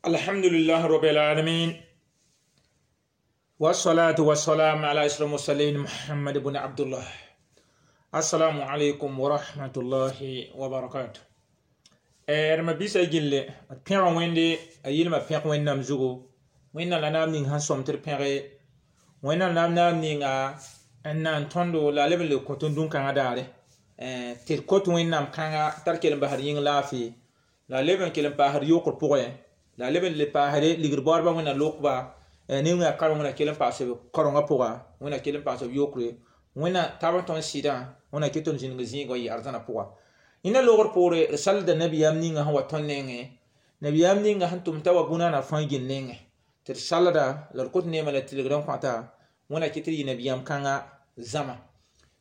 الحمد لله رب العالمين، والصلاة والسلام على أشرف المرسلين محمد بن عبد الله. السلام عليكم ورحمة الله وبركاته. Ma bisa gilli d pẽg Wẽnde, a yɩlma pẽg Wẽnnaam zugu. Wẽnnaam la naam ning sẽn sõm tɩ d pẽge Wẽnnaam, naam naam ninga n na n tõndo la a leb n le kõ tõnd dũn-kãngã daare tɩ d kot Wẽnnaam kãnga t'a d kell n basd yĩng laafɩ, la a leb n kell n paasd yokr pʋgẽ, la a leb n le paasde ligd baoodbã. Wẽnnaam lokba ne wẽa kareng, Wẽnna kell n paas b karengã pʋga, Wẽnna kell n paas b yokre. Wẽnna tab n tõnd sɩdã, Wẽnna kɩ tõnd zĩnig zĩigã n yɩ arzãna pʋga. Yẽnda logr poore d salda nabiyaam ninga sẽn wa tõnd nengẽ, nabiyaam ninga sẽn tʋm t'a wa bũnana fãa gil nengẽ tɩ d salda la d kot neemã la tilgd n kõta. Wẽnna kɩ tɩ d yɩ nabiyaam kãnga zãma.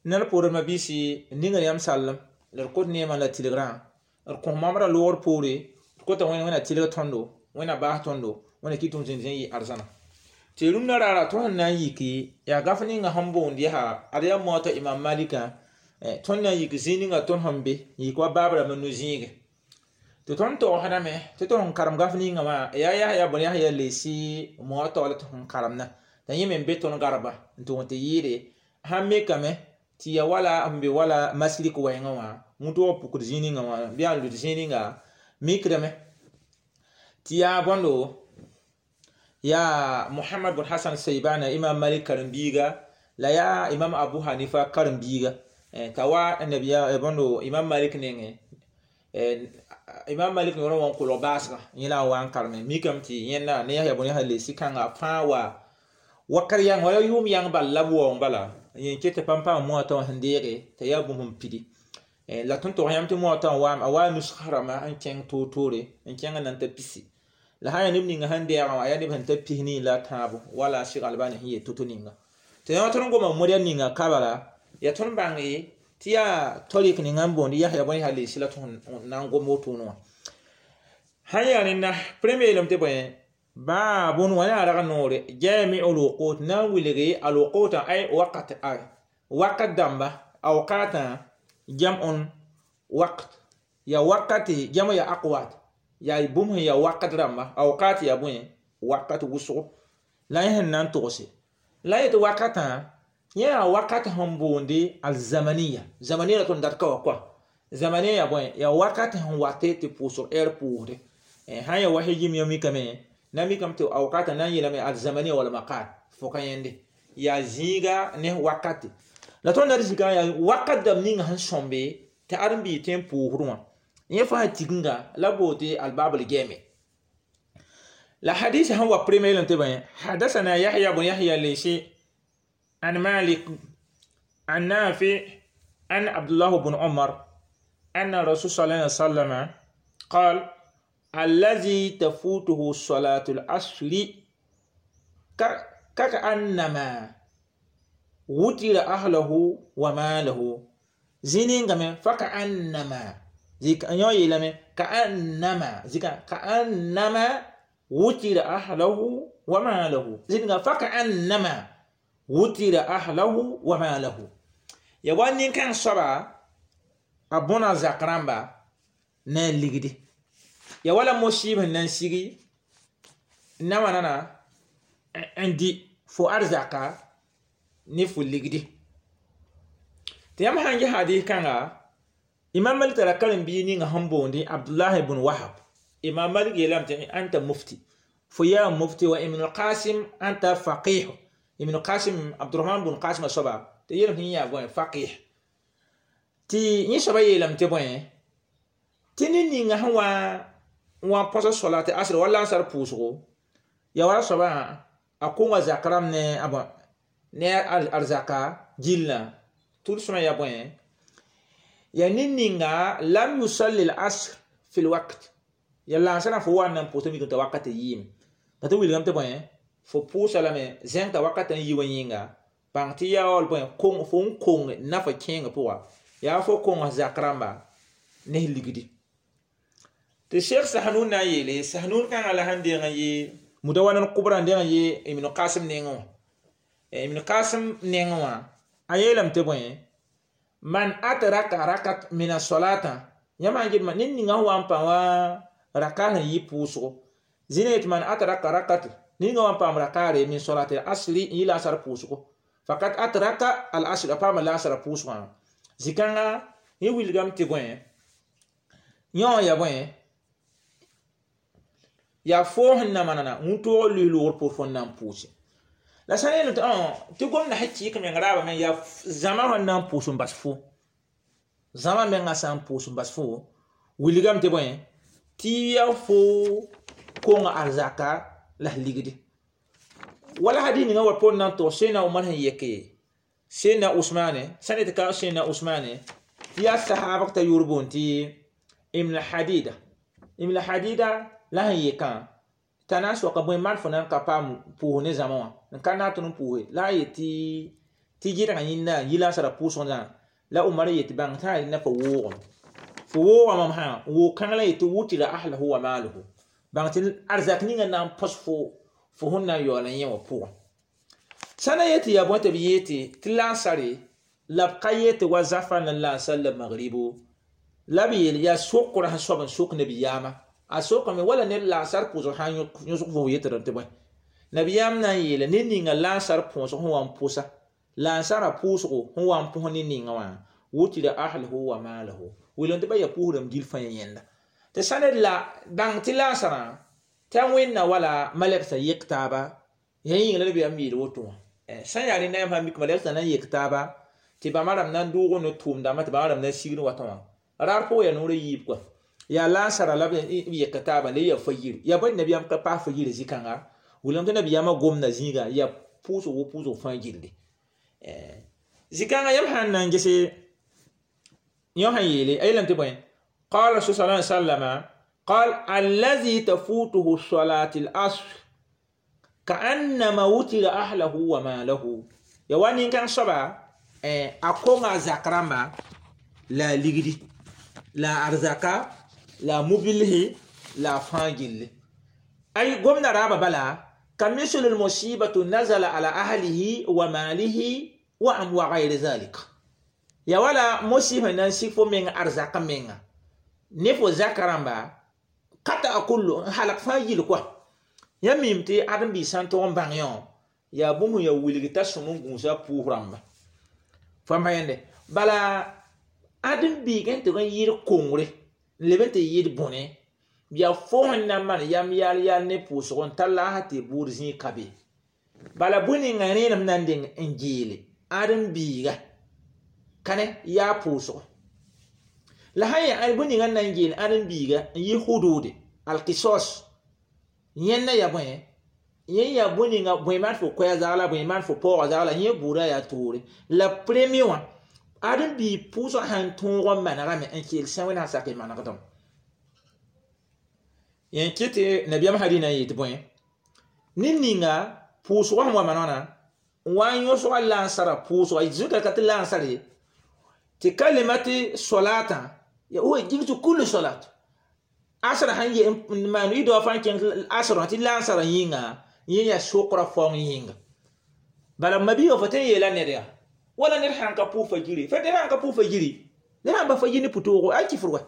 Ned poore mabiisi ninga yãmb sallem la d kot neemã la tilgrã, d kõ mamdã logr poore, d kota Wẽnna, Wẽnna tilg tõndo, Wẽnna baas tõndo, Wẽnna kɩ tɩ zĩnd zĩ yɩ arzãna. Tɩ rũndã raara tõnd sẽn na n yiki yaa gaf ninga sẽn boond yaa ad yaa moata Imam Malika. Tõnd na n yik zĩig ninga tõnd sẽn be yik wa baab rãmb nu zĩige tɩ tõnd togsdame tɩ tõnd sẽn karem gaf ninga wã yaa Yahya bõn Yahya Lesi moata la tɩ sẽn karemna t'a yẽ me n be tõnd garba n tʋg tɩ yɩɩde sãn mikame tɩ ya wala n be wala masrik wɛɛngã wã wũtʋg pukd zĩig ninga wã bɩ yaa n lud zĩig ninga mikdame tɩ yaa bõndo yaa Muhammad bn Hasan Seibana, Imam Malik karen-biiga, la yaa Imam Abu Hanifa karen-biiga t'a wa nabiya bõndo Imam Malik nengẽ. Imam Malik noorã wã n kolg baasga yẽ la a wa n kareme mikame tɩ yẽnda ne Yahya bõn Yahya Lesi kãnga fãa wa wakat yãng wala yʋʋm yãng bal la b waoong bala yẽ ket tɩ pãm paam moata wã sẽn deege t'a yaa bũmb n pidi. La tõnd tog yãmb tɩ moata wã waame, a waa nusg rãmba n kẽng toor-toore n kẽng n na n ta pisi la sã yaa neb ninga sẽn deegã wã, a yaa neb sẽn ta 12 la tãabo wala Sɩg Albani sẽn yeel to-to ninga tɩ yã tõnd goma moda ninga kabala yaa tõnd bãnge tɩ yaa tarik ninga n boond Yahya bõn Yahya Lesi la tõnd na n gom wotone wã sãn yaa rẽnda. Premier yeelame tɩ bõe baabun wã yaa rag noore jami'u lwuqut na n wilge alwuqut ay wakat, ay wakat dãmba awqatã jam'un waqt ya wakati jama ya aqwat ya bũmb sẽn ya wakat rãmba awqat ya bõe wakat wʋsgo la yẽ sẽn na n togse la yetɩ wakatã yẽ yaa wakat sẽn boonde alzamaniya. Zamaniya la tõnd dat ka wa kɔa zamaniya ya bõe ya wakat sẽn wate tɩ pʋʋsg ɛɛr pʋʋsde. Sã n ya wa hijim yã mikame na mikame tɩ awqatã na n yeelame alzamaniya wala maqal fo ka yẽnde yaa zĩiga ne wakati la tõnd dat zikã yaa wakat dãmb ninga sẽn sõmbe tɩ ãdem-biig tõe n pʋʋsd wã yẽ fãa tiginga la boote albabl gɛɛme la hadis sẽn wa. Premier tɩ bõe حدثنا يحيى بن يحيى الليثي عن مالك عن نافع عن عبد الله بن عمر أن الرسول صلى الله عليه وسلم قال: الذي تفوته صلاة العصر كأنما وتر أهله وماله. زينين فكأنما زيك أنيو يلمي كأنما زيك كأنما وتر أهله وماله زينين فكأنما وتر أهله وماله يا وانين كان صبا أبونا زكرامبا نان لغدي ya wala mosib sẽn na n sigi nawa nana n di fo arzaka ne fo ligdi tɩ yãmb sãn ges hadis kãnga. Imam Malik tara karen-biig ninga sẽn boondi Abdullah ibn Wahab. Imam Malik yeelame tɩ anta mufti, fo yaa mufti, wa Ibn Qasim anta faqih. Ibn Qasim, Abdurrahman bn Qasim soaba tɩ yeelame tɩ yẽ yaa bõe faqih. Tɩ yẽ soaba yeelame tɩ bõe tɩ ned ninga sẽn wa n wa põsa solat asr wala lansar pʋʋsgo ya wala soabã a konga zak rãmb ne a bõ ne arzaka gillã tʋlsmã ya bõe ya ned ninga lam yusalli al-asr fi lwaqt ya lansrã fo wa n na n pʋʋsa mikame t'a wakat yiime la tɩ wilgame tɩ bõe fo pʋʋsa lame zẽng t'a wakat n yi wa yĩnga bãng tɩ yaa wall bõe fo n kong nafa kẽengã pʋga yaa fo kong zak rãmba ne ligdi. Tɩ Sheikh Sahnun na n yeele Sahnun kãngã la sẽn deng n yɩ Mudawana kubra n deng n yɩ Ibn Qasim nengẽ wã. Ibn Qasim nengẽ wã a yeelame tɩ bõe man adraka rakat min asolata yãmb sãn get ned ninga sẽn wa n pa wã raka sẽn yɩ pʋʋsgo. Zĩna yetɩ man atraka rakat ninga wã n paam rakaare min solat al asri n yɩ laasar pʋʋsgo fakat atraka al asr a paama laasara pʋʋsgã zĩ-kãnga yẽ wilgame tɩ bõe yõ ya bõe yaa foo sẽn na manana wĩntoog luis-loogr pʋʋs fo n na n pʋʋse la sã n yeelame tɩ tɩ gomda sẽn kɩɩk meng raabã me yaa zãma sẽn na n pʋʋs n bas fo zãma menga sã n pʋʋs n bas fo wilgame tɩ bõe tɩ yaa fo konga arzaka la ligdi wala hadith ninga wa pon nan to sena Umar sẽn yeke sena Usmane sã ne tɩ ka sena Usmane tɩ yaa sahaba t'a yʋʋr boond tɩ Ibn Hadida. Ibn Hadida la sẽn yekã t'a na n soaka bõe maan fo na n ka paam pʋʋs ne zãma wã n ka na n tõnd n pʋʋse la a yet tɩ yɩdgã yĩnda n yi laasara pʋʋsg la Umar yet tɩ bãng t'a rẽnda fo woogame fo wooga mam sã woog kãng la yetɩ wutira ahlahu wa maaluhu bãng tɩ arzak ninga na n põs fo fo sẽn na n yaool n yẽ wã pʋgẽ sã na yetɩ yaa bõe tɩ b yeete tɩ laasare la b ka yetɩ wa zafa la laasar la magribo la b yeel yaa sokra sẽn soab n sok nabiyaamã a sokame wala ned laasar pʋʋsg sã n yõsg fo yetɩ tɩ bõe nabiyaam na n yeela ned ninga laasar pʋʋsg sẽn wa n pʋsa laasarã pʋʋsgo sẽn wa n pʋs ned ninga wã wutira ahlahu wa maalahu wilg tɩ ba yaa pʋʋsdame gil fãa yẽnda tɩ sã ned la bãng tɩ laasarã tɩ a wẽnna wala malɛksa yek taaba yã yĩnga la nabiyaam yeel woto wã sã n yaa rẽnda yãmb sã n mik malɛksa na n yek taaba tɩ bãmba rãmb na n doog ne tʋʋmdãmbã tɩ bãmba rãmb na n sigd watã wã raar pʋgẽ yaa noorã yiib kɔa yaa laasara la b yek taaba la yaa fa-yir yaa bõe nabiyaam ka paas fa-yir zĩ-kãnga wilgame tɩ nabiyaamã gomda zĩiga yaa pʋʋsg wo pʋʋsg fãa gilli zĩ-kãngã yãmb sã n na n gese yõ sẽn yeele a yeelame tɩ bõe قال الرسول صلى الله عليه وسلم قال الذي تفوته صلاة العصر كأنما وتر أهله وماله يا وانين كان صبا أكون زكرما لا لغدي لا أرزاقا لا مبله لا فاجل أي قمنا رابا بلا كمثل المصيبة نزل على أهله وماله وأم وغير ذلك يا ولا مصيبة ننسي من أرزاق من ne fo zaka rãmba ka ta a kullu n halg fãa yil koa yãmb mim tɩ ãdem-biis sã n tog n bãng yõ yaa bũmb sẽn yaa wilg t'a sõm n gũusa pʋʋs rãmba fãmba yẽnde bala ãdem-biig n tɩg n yɩɩd kongre n leb n tɩ yɩɩd bõne yaa fo sẽn na n maan yam yaal yaal ne pʋʋsg n tar la a sã tɩ buud zĩig ka be bala bõe ninga rẽenem na n deng n geele ãdem-biiga kane yaa pʋʋsgo la sã yaa bõe ninga n na n geel ãdem-biiga n yɩ hudude alkisos yẽnda yaa bõe yẽ yaa bõe ninga bõe maan fo koɛɛ zagla bõe maan fo paoogã zagla yẽ buudã yaa toore la premier wã ãdem-biig pʋʋsgã sãn tõog n manegame n keel sã wẽnd sã sak y manegdame yẽ kɩ tɩ nabiyaam hadɩ na n yetɩ bõe ned ninga pʋʋsgã sẽn wa manegna n wa n yõsga lansara pʋʋsga zũka ka tɩ lansar ye tɩ kalimati solatã هو يجيك كل صلاة asra sãn ye n maan y dao fãa kẽng asrã tɩ lansarã yĩnga yẽ yaa sokra faoong yĩnga bala mabiiga fo tõe n yeela ned yaa wala ned sãn ka pʋʋs fa-yiri fa ned sãn ka pʋʋs fa-yiri ned sãn ba fa-yir ne pʋtoogo ay kifr wa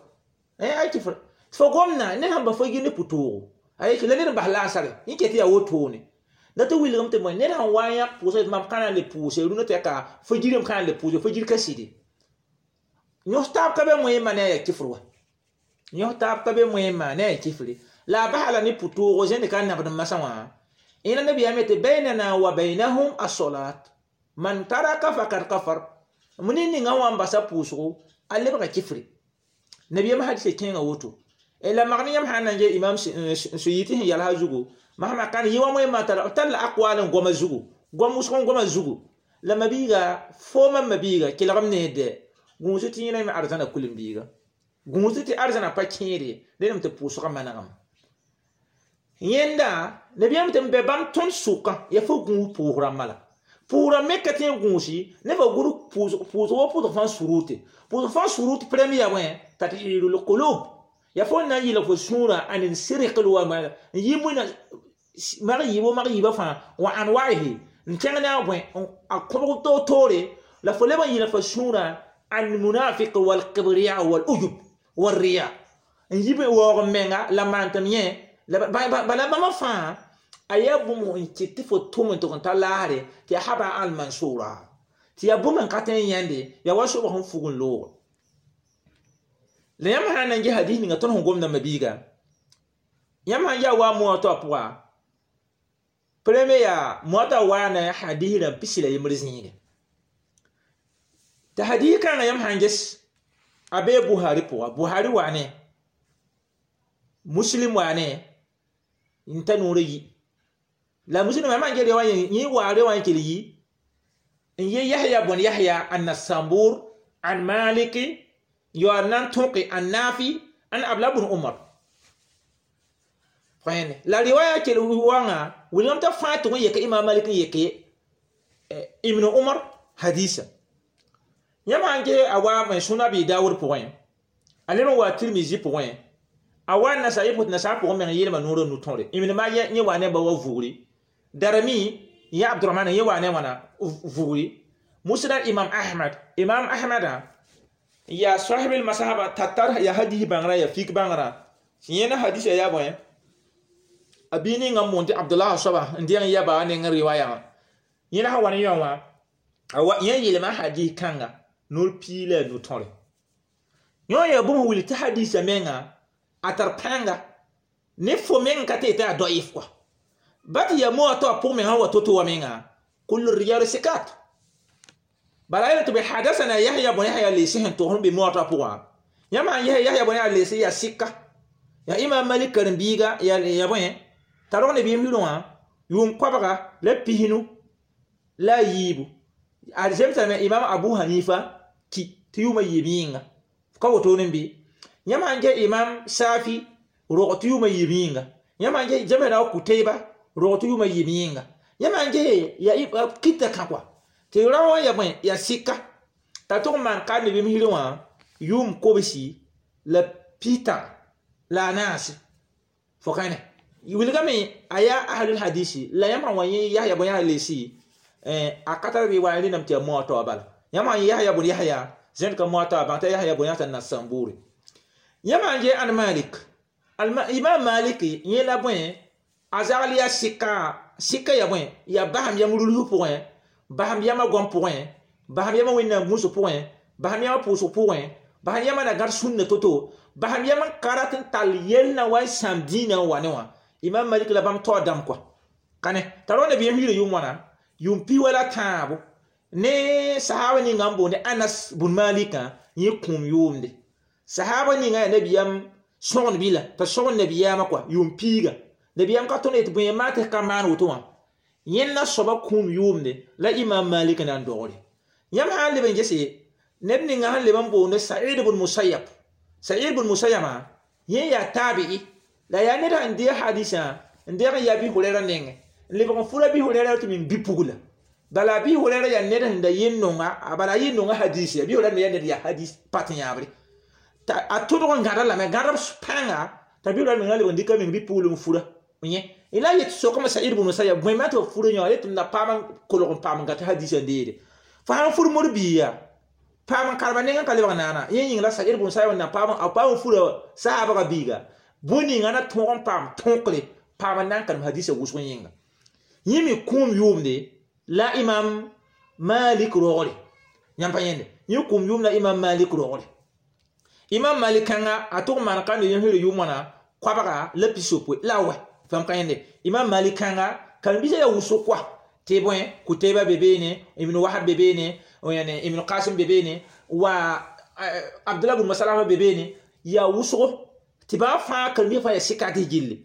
ay kifr fo gomna ned sãn ba fa-yir ne pʋtoogo ay la ned n bas lansare yẽ ket yaa wotone la tɩ wilgame tɩ bõe ned sãn wa n yãk pʋʋsga tɩ mam ka na n le pʋʋse rũnã tɩ ka fa-yirame ka na n le pʋʋse fa-yir ka sɩde yõs taab ka be moẽmã ne a yaa kifr wa yõs taab ka be moẽmã ne a yaa kifre la a basa la ne pʋtoogo zẽnd ka nabd n masã wã ẽna nabiyaam tɩ baynana wa baynahum as-salat man taraka fakad kafar ned ninga wã n basa pʋʋsgo a lebga kifre nabiyaam hadisa kẽnga woto la mag ne yãmb sã n na n ge imam suyiti sẽn yalsa zugu masma kan yɩ wa moẽmã tar la aqwal n goma zugu gom wʋsg n goma zugu la mabiiga foomã mabiiga kelgem neede gũus tɩ yẽna me arzãna kulim-biiga gũus tɩ arzãna pa kẽede rẽnem tɩ pʋʋsgã manegame yẽnda nabiyaam tɩ n be bãmb tõnd sʋkã yaa fo gũus pʋʋs rãmbã la pʋʋsrã me ka tõe n gũusi ne fa gʋd pʋʋsg wa pʋʋsg fãa surute pʋʋsg fãa surut premier yaa bõe tathirul qulub yaa fo na n yɩlg fo sũurã an sirq wa n yɩ wẽna mag yiibo mag yiibã fãa wa anwaihi n kẽng ne a bõe a kõbg toor-toore la fo leb n yɩlg fo sũurã المنافق والكبرياء والأجب والرياء نجيب waoog menga la maan tɩ m yẽ La bala bãmba fãa a yaa bũmb n kɩt tɩ fo tʋm n tʋg n ta laasre tɩ yaa haba al-mansura tɩ yaa bũmb n ka tõe n yãende yaa wa sobg sẽn fug n loog la yãmb sã n na n ges hadis ninga tõnd sẽn gomdã mabiiga yãmb sãn yaa wa Muwatta pʋga premier yaa Muwatta waana hadis rãmb 61 zĩige tɩ hadis kãngã yãmb sãn ges a bee Buhari pʋga Buhari waane Muslim waane n ta noorã yi la Muslim yãmb sãn ges wã yẽ waa re wã n kell yi n ye Yahya bun Yahya an-Nasambur an Maliki yo nan tõke an Nafi an Abdullah bun Umar la riwaya kell wãnga wilgame t'a fãa tʋg n yeke Imam Malik n yeke Ibn Umar hadisa yãmb sãn ges a wa Sunan Abi Dawud pʋgẽ a leb n wa Tirmizi pʋgẽ a wa Nasai pʋt nasaar pʋgẽ meng yeelma noorã nu-tõre Ibn Majah yẽ wa ne ba wa vugri Darimi yã Abdurrahman yẽ wa ne wãna vugri Musnad Imam Ahmad Imam Ahmada ya sahib al-masahaba tatar ya hadith bãngrã ya fik bãngrã yẽna hadisa yaa bõe a bii ninga n moon tɩ Abdullah soaba n dẽng yaba neng riwaya yẽna sã wa ne yõ wã yẽ yeelma hadis kãnga noor piig la a nu-tõre yõ yaa bũmb wilg tɩ hadisa menga a tar pãnga ne fo meng ka tɩ tɩ a daif kɔa ba tɩ yaa Muwatta pʋg meng sã wa to-to wa menga kul rijal sikat bala yẽla tɩ bɩ hadasana Yahya bun Yahya leesi sẽn tog sẽn be Muwatta pʋgã yãmb sãn ges Yahya bun Yahya leesi yaa sɩka yaa Imam Malik karen-biiga yaa bõe t'a rog ne bɩɩm wã yʋʋm 323 a zemsame Imam Abu Hanifa ki tɩ yʋʋma yiib yĩnga ka wotone bɩ yãmb sãn ges Imam Safi rog tɩ yʋʋma yiib yĩnga yãmb sãn ges zemsda Kutayba rog tɩ yʋʋma yiib yĩnga yãmb sãn ges yaa kita kã kɔa tɩ rao wã yaa bõe yaa sɩka t'a tʋg n maan ka ne bɩm hirẽ wã yʋʋm 94 fo kãne wilgame a yaa ahlul hadisi la yãmb sã wa yẽ Yahya bun Yahya leesi a ka tar riwaya rẽndame tɩ yaa Muwatta bala yãmb sã Yahya bun Yahya zẽnd ka Muwatta bãng t'a Yahya bun Yahya Nasamburi yãmb sãn ges an Malik Imam Malik yẽ la bõe a zagl yaa sɩka sɩka yaa bõe yaa basam yam rulsg pʋgẽ basam yamã goam pʋgẽ basam yamã wẽnnaam gũusg pʋgẽ basam yamã pʋʋsg pʋgẽ basam yamã na gãd sũnna to-to basam yam n ka rat n tall yell na wa n sãam dĩinã n wa ne wã Imam Malik la bãmb taoor dãmb kɔa kãne t'a rao nabiyaam hiirã yʋʋm wãna yʋʋm pi wala tãabo ne sahaba ninga n boonde Anas bun Malikã yẽ kũum yʋʋmde sahaba ninga yaa nabiyaam sõgend bila t'a sõgend nabiyaamã kɔa yʋʋm piiga nabiyaam ka tõnd yetɩ bõe maa tɩ ka maan woto wã yẽnda soaba kũum yʋʋmde la Imam Malik na n dogre yãmb sã n leb n gese neb ninga sẽn leb n boonde Sa'id bun Musayyab Sa'id bun Musayyaba yẽ yaa taabi'i la yaa ned sẽn deeg hadisã n deeg n yaa Abi Hurɛra nengẽ n lebg n fura Abi Hurɛra tɩ min bi-pugla bala Abi Hurɛra yaa ned sẽn da yẽ nonga bala a yẽ nonga hadisi Abi Hurɛra me yaa ned yaa hadis pat yãabre a tõdg n gãda lame gãdb pãnga t'a Abi Hurɛra menga lebg n dɩka meng bi-pugl n fura yẽ la yet sokame Sa'id bun Musayyab bõe maa tɩ b fura yõ yetɩ m na paam n kolg n paam n gata hadisã n deede fo sãn fur mod-biiga paam n karema nengẽ ka lebg naana yẽ yĩng la Sa'id bun Musayyab na paam a paam n fura sahabga biiga bũn ninga na tõog n paam tõkre paam n na n karem hadisã wʋsg yĩnga yẽ me kũum yʋʋmde la Imam Malik rogre yãmb pa yẽnde yẽ kũum yʋʋm la Imam Malik rogre Imam Malik kãnga a tʋg n maan ka ne yẽ yʋʋm wãna 360 la wɛ fãmb ka yẽnde Imam Malik kãnga karen-biisã yaa wʋsg kɔa tɩ bõe Kutayba be beene Ibn Wahab be beene Ibn Qasim be beene wa Abdullah bn Masalama be beene yaa wʋsgo tɩ bãmb fãa karen-biisã fãa yaa sɩka tɩ gilli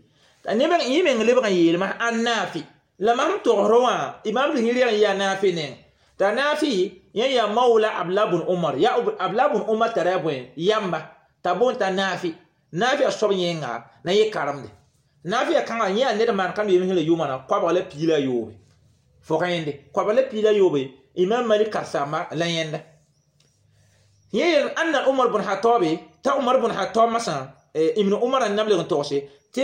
yẽ meng lebg n yeelmã an Nafi la mam togsr wã Imam Bukhari n yaa Nafi neng t'a Nafi yẽ yaa mawla Abdullah bun Umar yaa Abdullah bun Umar tara bõe yamba t'a boond t'a Nafi Nafi a soab yẽnga na yẽ karemde Nafi a kãngã yẽ yaa ned maan kam yem sẽn yʋʋmã 323 fo ka yẽnde 323 Imam Malik karsamba la yẽnda yẽ yel anna Umar bun Khattab t'a Umar bun Khattab masã Ibn Umar n nam leg n togse tɩ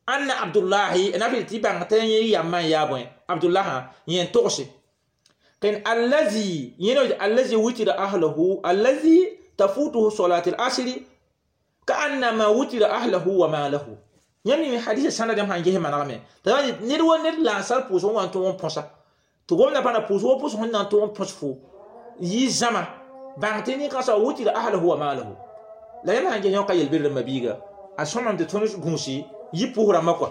anna Abdullahi Nafi tɩ bãng t'a yẽ yambã n yaa bõe Abdullah yẽ n togse ken allazi yẽna allazi wutira ahlahu allazi tafutuhu salat al-asri ka'annama wutira ahlahu wa malahu Yãmb yĩng hadisa sãnda dãmb sãn ges manegame t'a ned wa ned laasar pʋʋsg wã n tʋg n põsa tɩ gomdã pa na pʋʋsg wa pʋsg sẽn na n tʋg n põs fo yɩ zãma bãng tɩ nin-kãnsã wutira ahlahu wa malahu la yãmb sãn ges yõ ka yel-bɩd rãmba biiga a sõmame tɩ tõnd gũusi yɩ pʋʋs rãmbã kɔa.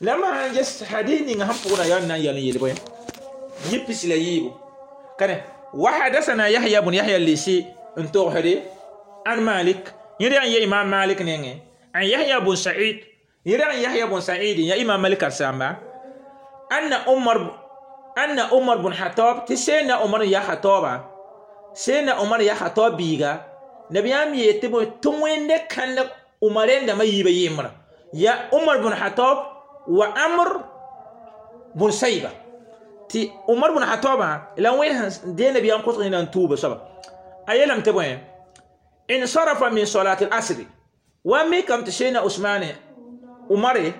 La yãmb sãn ges hadis ninga sẽn pʋgda yaa n na n yal n yel bõe yɩ pis la yiibu kane wa hadasana Yahya bun Yahya Lisi n togsde an Malik yẽd yaa n ye Imam Malik nengẽ an Yahya bun Sa'id yẽd yaa n Yahya bun Sa'id ya Imam Malik karsamba anna Umar bun Khattab tɩ Seyidna Umar ya Khattaba Seyidna Umar ya Khattab biiga nabiyaam yeel tɩ bõe tɩ wẽnde kãndg Umar rẽndãmã yiibã yembra ya Umar bun Khattab wa Amr bun Sayba tɩ Umar bun Khattabã la wẽnd sẽn dee nabiyaam kosg yẽna n tuuba soaba a yeelame tɩ bõe insarafa min salat al-asri wa mikam tɩ Seyidna Usmane Umare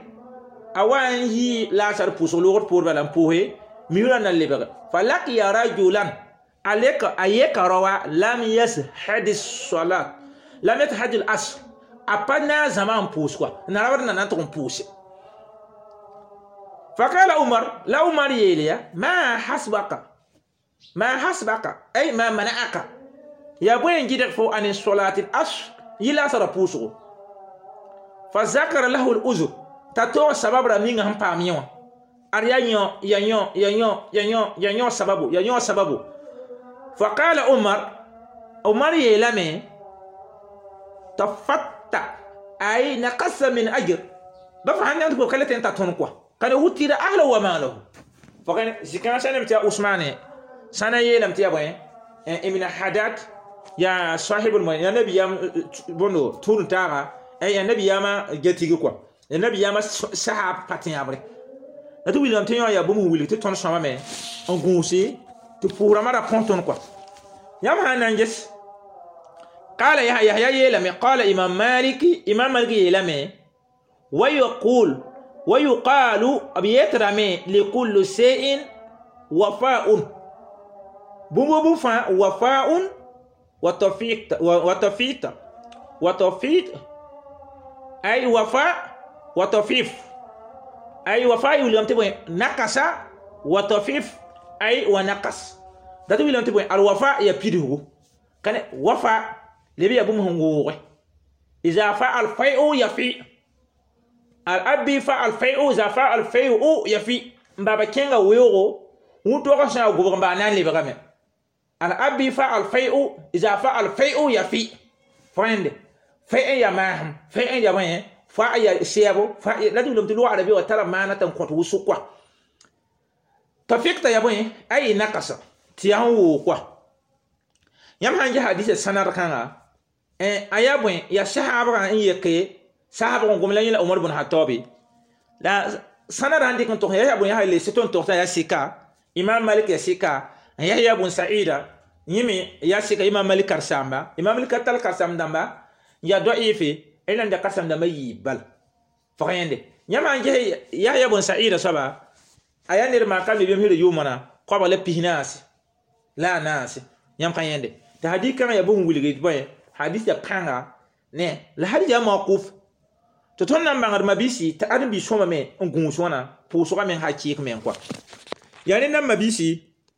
a wa n yi laasar pʋʋsg loogd poor bala n pʋʋse miurã na lebg falakiya rajulan aleka a yeka rawa lam yashhad salat lam yashhad al-asr a pa na zãma n pʋʋs kɔa n rabd na na n tʋg n pʋʋse. فقال عمر لا عمر يليا ما حسبك ما حسبك أي ما منعك يا بوين جدك فو عن الصلاة العصر يلا سر بوسو فذكر له العذر تاتو سبب رمين هم باميون أريا يون يا يون يا يون يا يون يا يون سببو يا يون سببو. فقال عمر عمر يلامي تفتى أي نقص من أجر بفهم أنت بقولة أنت تنقوى كان وتر أهله وماله. فكان زكان سنة متى عثمان سنة يلم تيا بوين إمنا حداد يا صاحب المال يا نبي يا بونو تون تارا يا نبي يا ما جتيجي كوا يا نبي يا ما سحاب باتين أبري لا تقول لهم تيا يا بومو ويلي تون سما مي أنغوسي تفورا مرة بونتون كوا يا ما نانجس. قال يحيى يحيى يلم قال إمام مالك إمام مالك يلم ويقول ويقال أبيترمي لكل شيء وفاء بوم بوفا وفاء وتوفيق وتوفيق وتوفيق أي وفاء وتوفيف أي وفاء يقول تبغى نقص وتوفيف أي ونقص ده تقول تبغى الوفاء يبيده كان وفاء لبي أبوهم هو إذا فعل فيء يفي الأبي فعل فيء إذا فعل فيء يفي بابا كينغا ويورو وتوقع سنا غوبر بانان لي برامي الأبي فعل فيء إذا فعل فيء يفي فاند فيء يا ماهم فيء يا وين فا يا سيابو فا لا تقولون تلو عربي وترى ما نتن كنت وسقوا تفيقت يا بوين أي نقص تيان وقوا يام هنجي حديث السنة ركانا أيا بوين يا صحابة إن يكي صحابة قوم لين عمر بن الخطاب لا سنة عندي كنت يا بوين هاي لستون تختا يا سيكا إمام مالك يا سيكا يحيى بن سعيد يمي يا سيكا إمام مالك كرسامبا إمام مالك كتل كرسام دامبا يا ضعيفي إن عند كرسام دامبا يبال فخيندي يام هنجي يحيى بن سعيد سبا أيا نير ما كان بيم هيرو يومنا قبل بيناس لا ناس يام خيندي تهدي كان يبون وليد بوين حديث يبقى نه لا حديث موقوف تتون نام بانغر مبيسي تأدم بيسوما مي نغوسونا بوسوما مي حقيق مي كوا يعني نام مبيسي